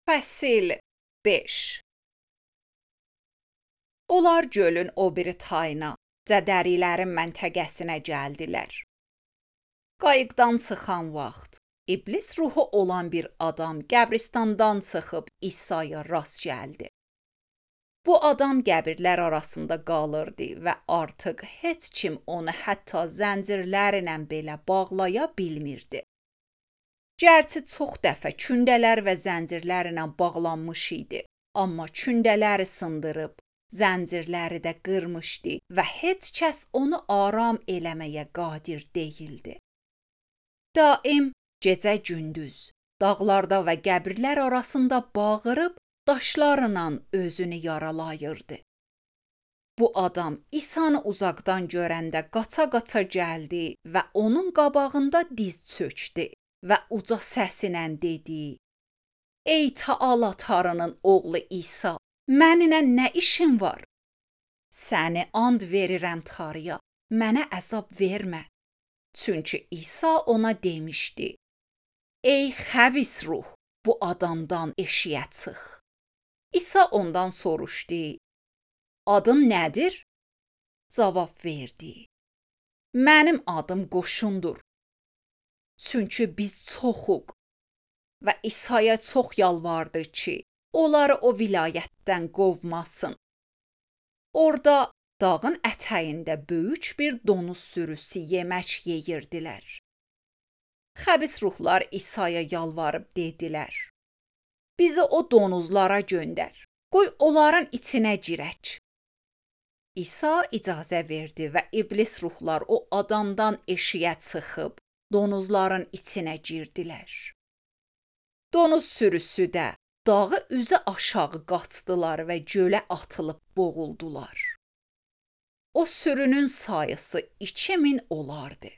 Fəsil 5. Onlar gölün o biri tayına, Cədərilərin məntəqəsinə gəldilər. Qayıqdan çıxan vaxt, iblis ruhu olan bir adam qəbristandan çıxıb İsa'ya rast gəldi. Bu adam qəbirlər arasında qalırdı və artıq heç kim onu hətta zəncirlərlə belə bağlaya bilmirdi. Gərçi çox dəfə kündələr və zəncirlərlə bağlanmış idi, amma kündələri sındırıb, zəncirləri də qırmışdı və heç kəs onu aram eləməyə qadir deyildi. Daim gecə-gündüz dağlarda və qəbirlər arasında bağırıb daşlarla özünü yaralayırdı. Bu adam İsa'nı uzaqdan görəndə qaça-qaça gəldi və onun qabağında diz çökdü və uca səsilə dedi: "Ey Taala Tanrının oğlu İsa, mənimlə nə işin var? Səni and verirəm Tanrıya, mənə əzab vermə." Çünki İsa ona demişdi: "Ey xəbis ruh, bu adamdan eşiyə çıx." İsa ondan soruşdu: "Adın nədir?" Cavab verdi: "Mənim adım Qoşundur. Çünki biz çoxuq." Və İsa'ya çox yalvardı ki, onları o vilayətdən qovmasın. Orada dağın ətəyində böyük bir donuz sürüsü yemək yeyirdilər. Xəbis ruhlar İsa'ya yalvarıb dedilər: "Bizi o donuzlara göndər, qoy onların içinə girək." İsa icazə verdi və iblis ruhlar o adamdan eşiyə çıxıb donuzların içinə girdilər. Donuz sürüsü də dağı üzü aşağı qaçdılar və gölə atılıb boğuldular. O sürünün sayısı 2000 olardı.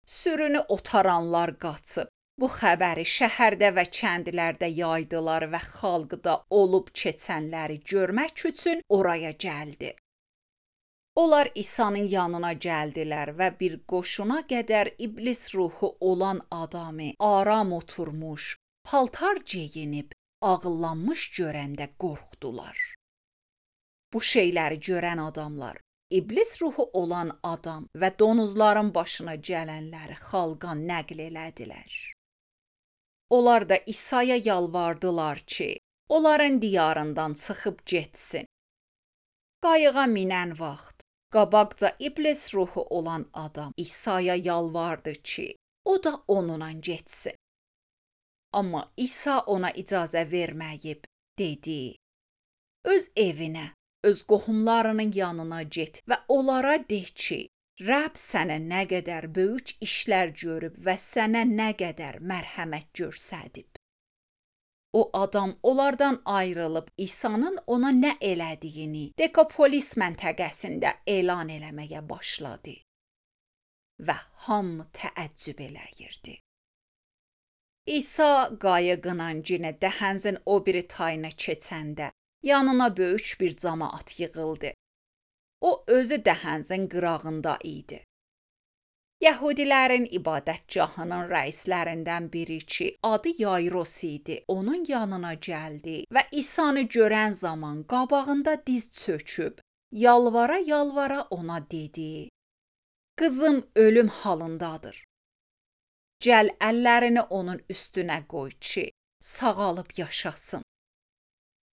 Sürünü otaranlar qaçıb bu xəbəri şəhərdə və kəndlərdə yaydılar və xalq da olub keçənləri görmək üçün oraya gəldi. Onlar İsa'nın yanına gəldilər və bir qoşuna qədər iblis ruhu olan adamı aram oturmuş, paltar geyinib, ağıllanmış görəndə qorxdular. Bu şeyləri görən adamlar, iblis ruhu olan adam və donuzların başına gələnləri xalqa nəql elədilər. Onlar da İsa'ya yalvardılar ki, onların diyarından çıxıb getsin. Qayığa minən vaxt, qabaqca iblis ruhu olan adam İsa'ya yalvardı ki, o da onunla getsin. Amma İsa ona icazə verməyib, dedi: "Öz evinə, öz qohumlarının yanına get və onlara de ki, Rəbb sənə nə qədər böyük işlər görüb və sənə nə qədər mərhəmət göstərib." O adam onlardan ayrılıb İsa'nın ona nə elədiyini Dekapolis məntəqəsində elan eləməyə başladı. Və hamı təəccüb eləyirdi. İsa qayıqla yenə dəhənzin o biri tayına keçəndə yanına böyük bir camaat yığıldı. O özü dəhənzin qırağında idi. Yəhudilərin ibadətgahının rəislərindən biri ki, adı Yayros idi, onun yanına gəldi və İsa'nı görən zaman qabağında diz çöküb, yalvara-yalvara ona dedi: "Qızım ölüm halındadır. Gəl əllərini onun üstünə qoy ki, sağalıb yaşasın."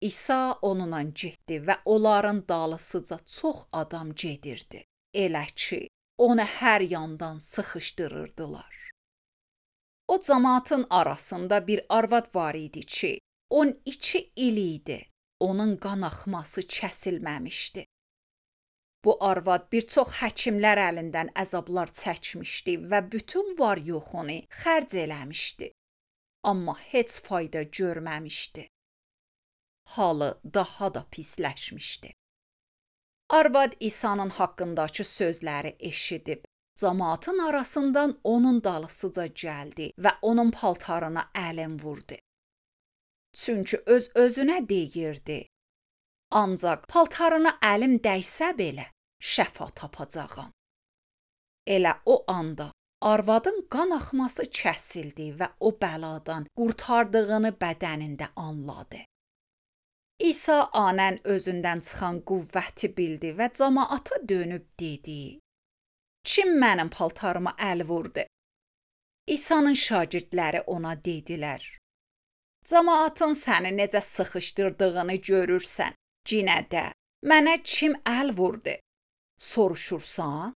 İsa onunla getdi və onların dalısıca çox adam gedirdi. Elə ki, onu hər yandan sıxışdırırdılar. O camaatın arasında bir arvad var idi ki, 12 il idi, onun qan axması kəsilməmişdi. Bu arvad bir çox həkimlər əlindən əzablar çəkmişdi və bütün var-yoxunu xərc eləmişdi. Amma heç fayda görməmişdi. Halı daha da pisləşmişdi. Arvad İsa'nın haqqındakı sözləri eşidib, camaatın arasından onun dalısıca gəldi və onun paltarına əlin vurdu. Çünki öz-özünə deyirdi: "Ancaq paltarına əlim dəysə belə şəfa tapacağam." Elə o anda Arvadın qan axması kəsildi və o bəladan qurtardığını bədənində anladı. İsa anən özündən çıxan qüvvəti bildi və cəmaata dönüb dedi: "Kim mənim paltarıma əl vurdu?" İsa'nın şagirdləri ona dedilər: "Cəmaatın səni necə sıxışdırdığını görürsən. Cinə də, mənə kim əl vurdu? Soruşursan?"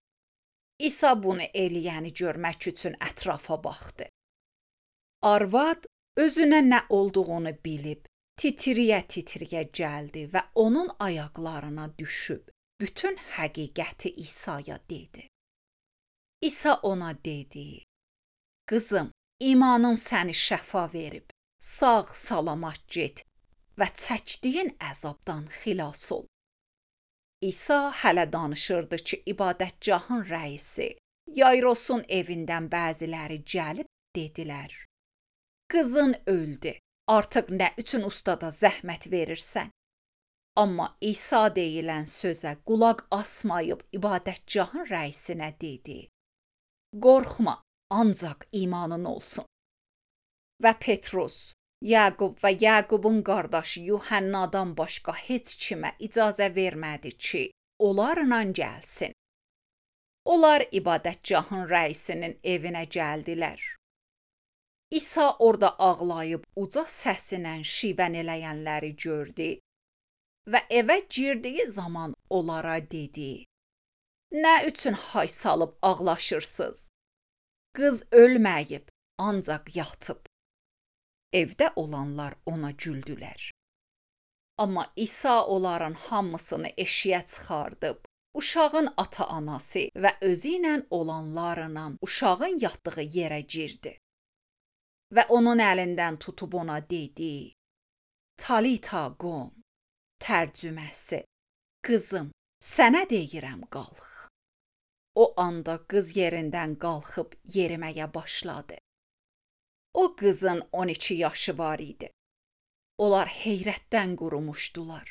İsa bunu eləyəni görmək üçün ətrafa baxdı. Arvad özünə nə olduğunu bilib, titriyə-titriyə gəldi və onun ayaqlarına düşüb bütün həqiqəti İsa'ya dedi. İsa ona dedi: "Qızım, imanın səni şəfa verib, sağ-salamat get və çəkdiyin əzabdan xilas ol." İsa hələ danışırdı ki, ibadətgahın rəisi Yayrosun evindən bəziləri gəlib dedilər: "Qızın öldü, artıq nə üçün ustada zəhmət verirsən?" Amma İsa deyilən sözə qulaq asmayıb ibadətgahın rəisinə dedi: "Qorxma, ancaq imanın olsun." Və Petrus, Yaqub və Yaqubun qardaşı Yuhannadan başqa heç kimə icazə vermədi ki, onlarla gəlsin. Onlar ibadətgahın rəisinin evinə gəldilər. İsa orada ağlayıb uca səsilə şivən eləyənləri gördü və evə girdiyi zaman onlara dedi: "Nə üçün hay salıb ağlaşırsınız? Qız ölməyib, ancaq yatıb." Evdə olanlar ona güldülər. Amma İsa onların hamısını eşiyə çıxardıb, uşağın ata-anası və özü ilə olanlarla uşağın yatdığı yerə girdi. Və onun əlindən tutub ona dedi: "Talita qum", tərcüməsi: "Qızım, sənə deyirəm, qalx." O anda qız yerindən qalxıb yeriməyə başladı. O qızın 12 yaşı var idi. Onlar heyrətdən qurumuşdular.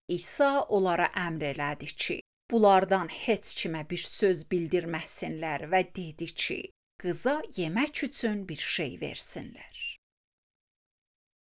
İsa onlara əmr elədi ki, bunlardan heç kimə bir söz bildirməsinlər və dedi ki, qıza yemək üçün bir şey versinlər.